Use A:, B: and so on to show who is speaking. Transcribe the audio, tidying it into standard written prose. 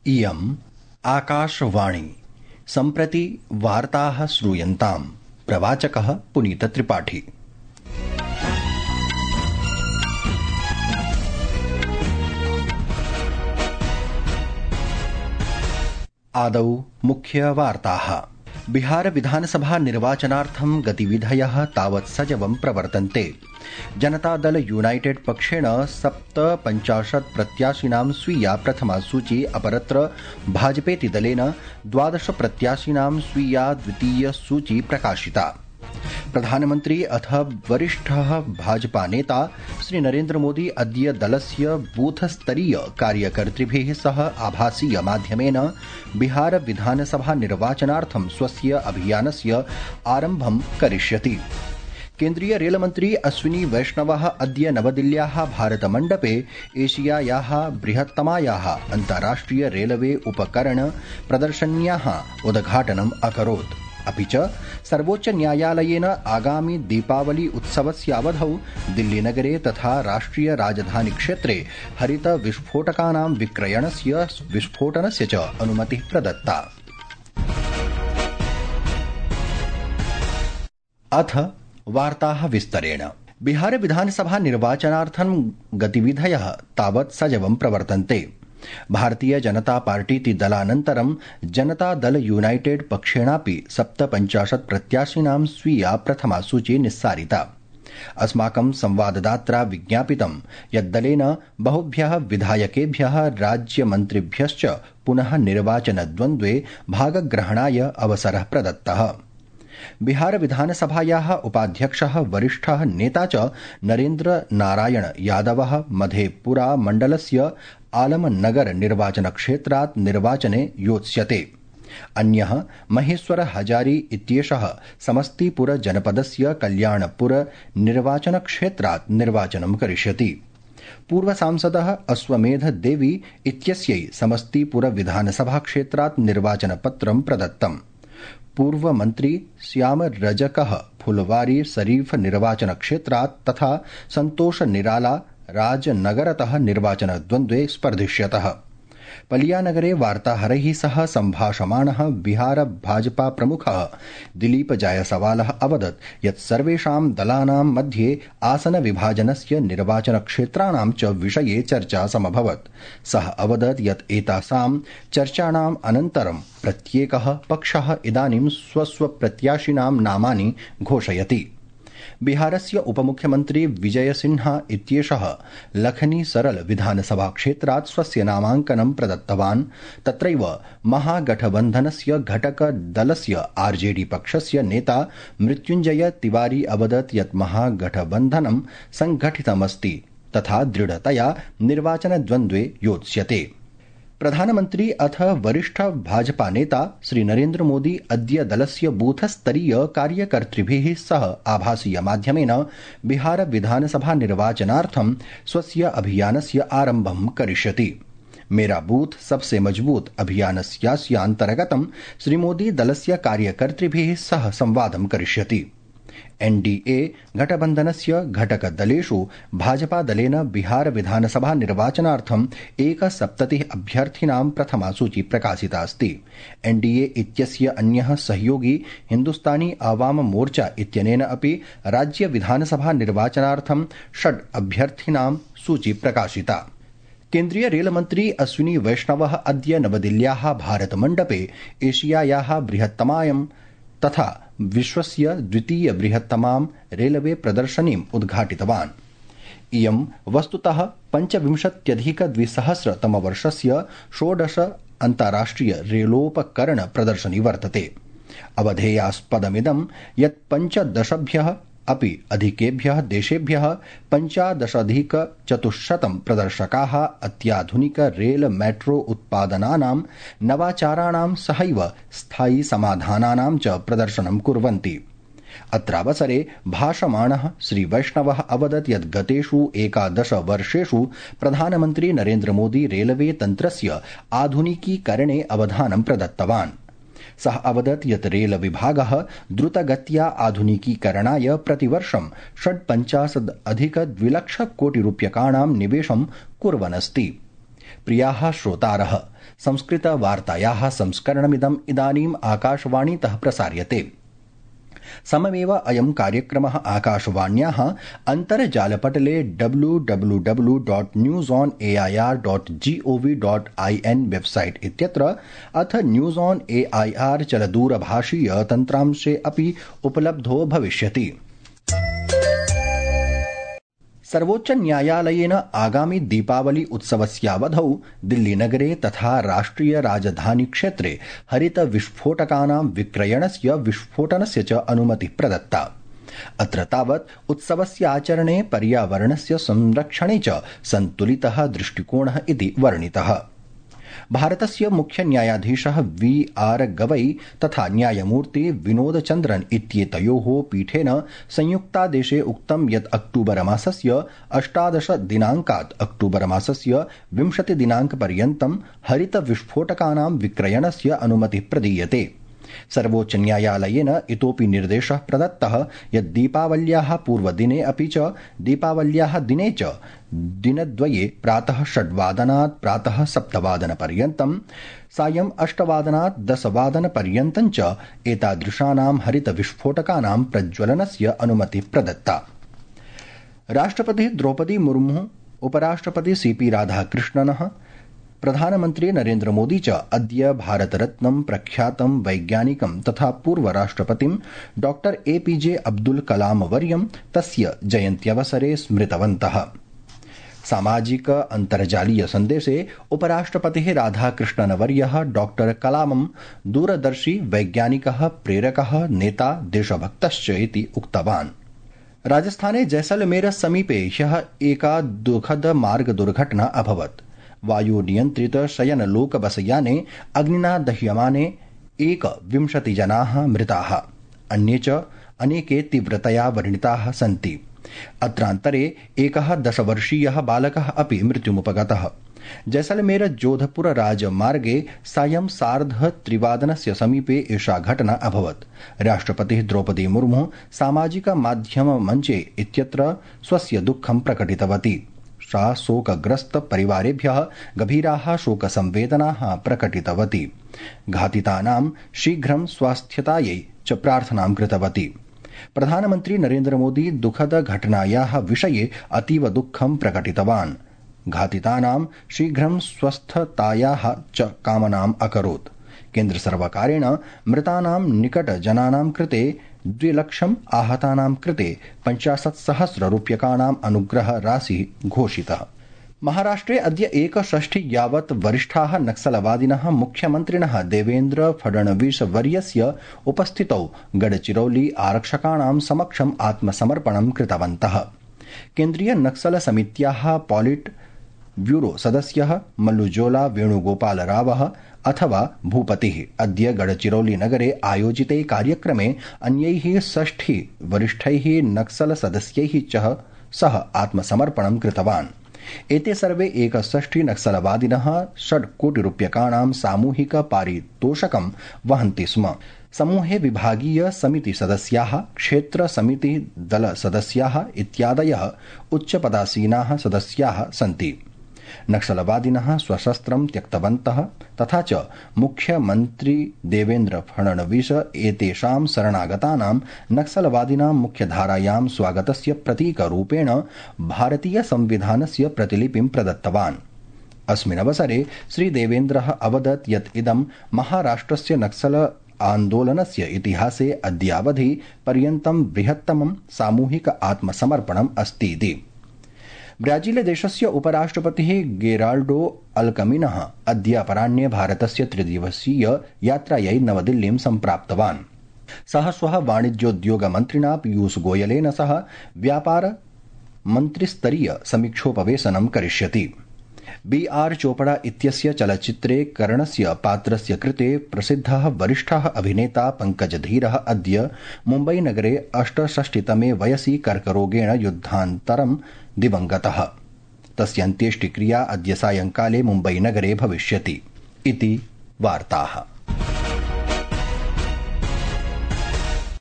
A: इयम् आकाशवाणी। सम्प्रति वार्ताः श्रूयन्ताम्। प्रवाचकः पुनीतत्रिपाठी। आदौ मुख्यवार्ताः। बिहार विधानसभा निर्वाचनार्थं गतिविधयः तावत् सजवं प्रवर्तन्ते। जनतादल यूनाइटेड पक्षेण 57 प्रत्याशिनां स्वीया प्रथमा सूची, अपरत्र भाजपेति दलेन 12 प्रत्याशिनां स्वीया द्वितीय सूची प्रकाशिता। प्रधानमन्त्री अथ वरिष्ठः भाजपा नेता श्री नरेन्द्र मोदी अद्य दलस्य बूथस्तरीय कार्यकर्तृभिः सह आभासीय माध्यमेन बिहार विधानसभा निर्वाचनार्थं स्वस्य अभियानस्य आरम्भं करिष्यति। केन्द्रीय रेलमन्त्री अश्विनी वैष्णवः अद्य नवदिल्ल्याः भारतमण्डपे एशियायाः बृहत्तमायाः अन्ताराष्ट्रिय रेलवे उपकरण प्रदर्शन्याः उद्घाटनम् अकरोत्। अपि च सर्वोच्च न्यायालयेन आगामि दीपावली उत्सवस्यावधौ दिल्लीनगरे तथा राष्ट्रिय राजधानी क्षेत्रे हरित विस्फोटकानां विक्रयणस्य विस्फोटनस्य च अनुमतिः प्रदत्ता। अथ वार्ताः विस्तरेण। बिहार विधानसभा निर्वाचनार्थं गतिविधयः तावत् सजवं प्रवर्तन्ते। भारतीय जनता पार्टीति दलानन्तरं जनता दल यूनाइटेड पक्षेणापि 57 प्रत्याशिनां स्वीया प्रथमा सूची निस्सारिता। अस्माकं संवाददात्रा विज्ञापितं यत् दलेन बहुभ्यः विधायकेभ्यः राज्यमन्त्रिभ्यश्च पुनः निर्वाचनद्वन्द्वे भागग्रहणाय अवसरः प्रदत्तः। बिहार विधानसभायाः उपाध्यक्षः वरिष्ठः नेता च नरेन्द्र नारायण यादवः मधेपुरा मण्डलस्य आलमनगर निर्वाचनक्षेत्रात् निर्वाचने योत्स्यते। अन्यः महेश्वर हजारी इत्येषः समस्तीपुर जनपदस्य कल्याणपुर निर्वाचनक्षेत्रात् निर्वाचनं करिष्यति। पूर्वसांसदः अश्वमेध देवी इत्यस्यै समस्तीपुर विधानसभा क्षेत्रात् निर्वाचनपत्रं प्रदत्तम्। पूर्वमन्त्री श्याम रजकः फुलवारी शरीफ निर्वाचनक्षेत्रात् तथा संतोष निराला राजनगरतः निर्वाचनद्वन्द्वे स्पर्धिष्यतः। पलियानगरे वार्ताहरैः सह सम्भाषमाणः बिहार भाजपा प्रमुखः दिलीप जायसवालः अवदत् यत् सर्वेषां दलानां मध्ये आसनविभाजनस्य निर्वाचनक्षेत्राणां च विषये चर्चा समभवत्। सः अवदत् यत् एतासां चर्चाणाम् अनन्तरं प्रत्येकः पक्षः इदानीं स्वप्रत्याशिनां नामानि घोषयति। बिहारस्य उपमुख्यमन्त्री विजय सिन्हा इत्येषः लखनी सरल विधानसभा क्षेत्रात् स्वस्य नामाङ्कनं प्रदत्तवान्। तत्रैव महागठबन्धनस्य घटकदलस्य आरजेडी पक्षस्य नेता मृत्युञ्जय तिवारी अवदत् यत् महागठबन्धनं संघटितमस्ति तथा दृढतया निर्वाचनद्वन्द्वे योत्स्यते। प्रधानमन्त्री अथ वरिष्ठ भाजपा नेता श्री नरेन्द्र मोदी अद्य दलस्य बूथस्तरीय कार्यकर्तृभिः सह आभासीय माध्यमेन बिहार विधानसभा निर्वाचनार्थं स्वस्य अभियानस्य आरम्भं करिष्यति। मेरा बूथ सबसे मजबूत अभियानस्यास्य अन्तर्गतं श्री मोदी दलस्य कार्यकर्तृभिः सह संवादं करिष्यति। एनडीए घटबन्धनस्य घटकदलेषु भाजपा दलेन बिहार विधानसभा निर्वाचनार्थं 71 अभ्यर्थिनां प्रथमा सूची प्रकाशिता अस्ति। एनडीए इत्यस्य अन्यः सहयोगी हिन्दुस्तानी आवाम मोर्चा इत्यनेन अपि राज्य विधानसभा निर्वाचनार्थं 6 अभ्यर्थिनां सूची प्रकाशिता। केन्द्रीय रेलमन्त्री अश्विनी वैष्णवः अद्य नवदिल्ल्याः भारतमण्डपे एशियायाः बृहत्तमायां तथा विश्वस्य द्वितीय बृहत्तमां रेलवे प्रदर्शनीम् उद्घाटितवान्। इयं वस्तुतः 25,200 षोडश अन्ताराष्ट्रिय रेलोपकरण प्रदर्शनी वर्तते। अवधेयास्पदमिदं यत् 15 अपि अधिकेभ्यः देशेभ्यः 15,400 प्रदर्शकाः अत्याधुनिक रेल मेट्रो उत्पादनानां नवाचाराणां सहैव स्थायी समाधानानां च प्रदर्शनं कुर्वन्ति। अत्रावसरे भाषमाणः श्री वैष्णवः अवदत् यत् गतेषु 11 वर्षेषु प्रधानमन्त्री नरेन्द्र मोदी रेलवे तन्त्रस्य आधुनिकीकरणे अवधानं प्रदत्तवान्। सः अवदत् यत् रेल विभागः द्रुतगत्या आधुनिकीकरणाय प्रतिवर्षं 56,200,000 कोटिरूप्यकाणां निवेशं कुर्वन् अस्ति। प्रियाः श्रोतारः, संस्कृतवार्तायाः संस्करणमिदम् इदानीम् आकाशवाणीतः प्रसार्यते। सममेव अयं कार्यक्रमः आकाशवाण्याः अन्तर्जालपटले www.newsonair.gov.in वेबसाइट इत्यत्र अथ न्यूज ऑन एआईआर चलदूरभाषीय तन्त्रांशे अपि उपलब्धो भविष्यति। सर्वोच्च न्यायालयेन आगामि दीपावली उत्सवस्यावधौ दिल्लीनगरे तथा राष्ट्रिय राजधानी क्षेत्रे हरित विस्फोटकानां विक्रयणस्य विस्फोटनस्य च अनुमतिः प्रदत्ता। अत्र तावत् उत्सवस्याचरणे पर्यावरणस्य संरक्षणे च सन्तुलितः दृष्टिकोणः इति वर्णितः। भारतस्य मुख्य न्यायाधीशः VR गवई तथा न्यायमूर्ति विनोदचन्द्रन इत्येतयोः पीठेन संयुक्तादेशे उक्तं यत् अक्टूबर मासस्य 18 दिनाङ्कात् अक्टूबर मासस्य 20 दिनाङ्कपर्यन्तं हरित विस्फोटकानां विक्रयणस्य अनुमतिः प्रदीयते। सर्वोच्च न्यायालयेन इतोपि निर्देशः प्रदत्तः यत् दीपावल्याः पूर्वदिने अपि च दीपावल्याः दिने च दिनद्वये प्रातः 6 वादनात् प्रातः 7 वादनपर्यन्तं सायं 8 वादनात् 10 वादनपर्यन्तं च एतादृशानां हरित विस्फोटकानां प्रज्वलनस्य अनुमतिः प्रदत्ता। राष्ट्रपतिः द्रौपदी मुर्मु, उपराष्ट्रपति CP राधाकृष्णनः, प्रधानमन्त्री नरेन्द्र मोदी च अद्य भारतरत्नं प्रख्यातं वैज्ञानिकं तथा पूर्वराष्ट्रपतिं डॉ APJ अब्दुल कलाम वर्यं तस्य जयन्त्यवसरे स्मृतवन्तः। सामाजिक अन्तर्जालीय सन्देशे उपराष्ट्रपतिः राधाकृष्णनवर्यः डॉ कलामं दूरदर्शी वैज्ञानिकः, प्रेरकः, नेता, देशभक्तश्च इति उक्तवान्। राजस्थाने जैसलमेर समीपे ह्यः एका दुःखद मार्ग दुर्घटना अभवत्। वायुनियन्त्रित शयनलोकबसयाने अग्निना दह्यमाने 21 जनाः मृताः, अन्ये च अनेके तीव्रतया व्रणिताः सन्ति। अत्रान्तरे एकः 10 वर्षीयः बालकः अपि मृत्युमुपगतः। जैसलमेर जोधपुर राजमार्गे सायं 3:30 समीपे एषा घटना अभवत्। राष्ट्रपतिः द्रौपदी मुर्मु सामाजिक माध्यम मञ्चे इत्यत्र स्वस्य दुःखं प्रकटितवती। सा शोकग्रस्त परिवारेभ्यः गभीराः शोकसंवेदनाः प्रकटितवती। घातितानां शीघ्रं स्वास्थ्यतायै च प्रार्थनां कृतवती। प्रधानमन्त्री नरेन्द्र मोदी दुःखद घटनायाः विषये अतीव दुःखं प्रकटितवान्। घातितानां शीघ्रं स्वस्थतायाः च कामनाम् अकरोत्। केन्द्रसर्वकारेण मृतानां निकटजनानां कृते 2 लक्षं, आहतानां कृते 50,000 रूप्यकाणाम् अनुग्रह राशिः घोषितः। महाराष्ट्रे अद्य 1 यावत् वरिष्ठाः नक्सलवादिनः मुख्यमन्त्रिणः देवेन्द्र फडणवीस वर्यस्य उपस्थितौ गडचिरौली आरक्षकाणां समक्षम् आत्मसमर्पणं कृतवन्तः। केन्द्रीय नक्सल समित्याः पॉलिट ब्यूरो सदस्यः मल्लुजोला वेणुगोपालरावः अथवा भूपतिः अद्य गडचिरौली नगरे आयोजिते कार्यक्रमे अन्यैः 6 वरिष्ठैः नक्सल सदस्यैः च सह आत्मसमर्पणं कृतवान्। एते सर्वे 61 नक्सलवादिनः 6 कोटि रूप्यकाणां सामूहिक पारितोषकं वहन्ति स्म। समूहे विभागीय समिति सदस्याः, क्षेत्र समिति दल सदस्याः इत्यादयः उच्चपदासीनाः सदस्याः सन्ति। नक्सलवादिनः स्वशस्त्रं त्यक्तवन्तः तथा च मुख्यमन्त्री देवेन्द्र फडणवीस एतेषां शरणागतानां नक्सलवादिनां मुख्यधारायां स्वागतस्य प्रतीकरूपेण भारतीय संविधानस्य प्रतिलिपिं प्रदत्तवान्। अस्मिन् अवसरे श्रीदेवेन्द्रः अवदत् यत् इदं महाराष्ट्रस्य नक्सल आन्दोलनस्य इतिहासे अद्यावधि पर्यन्तं बृहत्तमं सामूहिक आत्मसमर्पणम् अस्तीति। ब्राजीलदेशस्य उपराष्ट्रपतिः गेराल्डो अल्कमिनः अद्य अपराह्ने भारतस्य 3-दिवसीय यात्रायै नवदिल्लीं सम्प्राप्तवान्। सः श्वः वाणिज्योद्योगमन्त्रिणा पीयूष गोयलेन सह व्यापार मन्त्रिस्तरीय समीक्षोपवेशनं करिष्यति। BR चोपड़ा इत्यस्य चलच्चित्रे करणस्य पात्रस्य कृते प्रसिद्धः वरिष्ठः अभिनेता पङ्कजधीरः अद्य मुम्बईनगरे 68तमे वयसि कर्करोगेण युद्धान्तरं दिवङ्गतः। तस्य अन्त्येष्टिक्रिया अद्य सायङ्काले मुम्बईनगरे भविष्यति इति वार्ताः।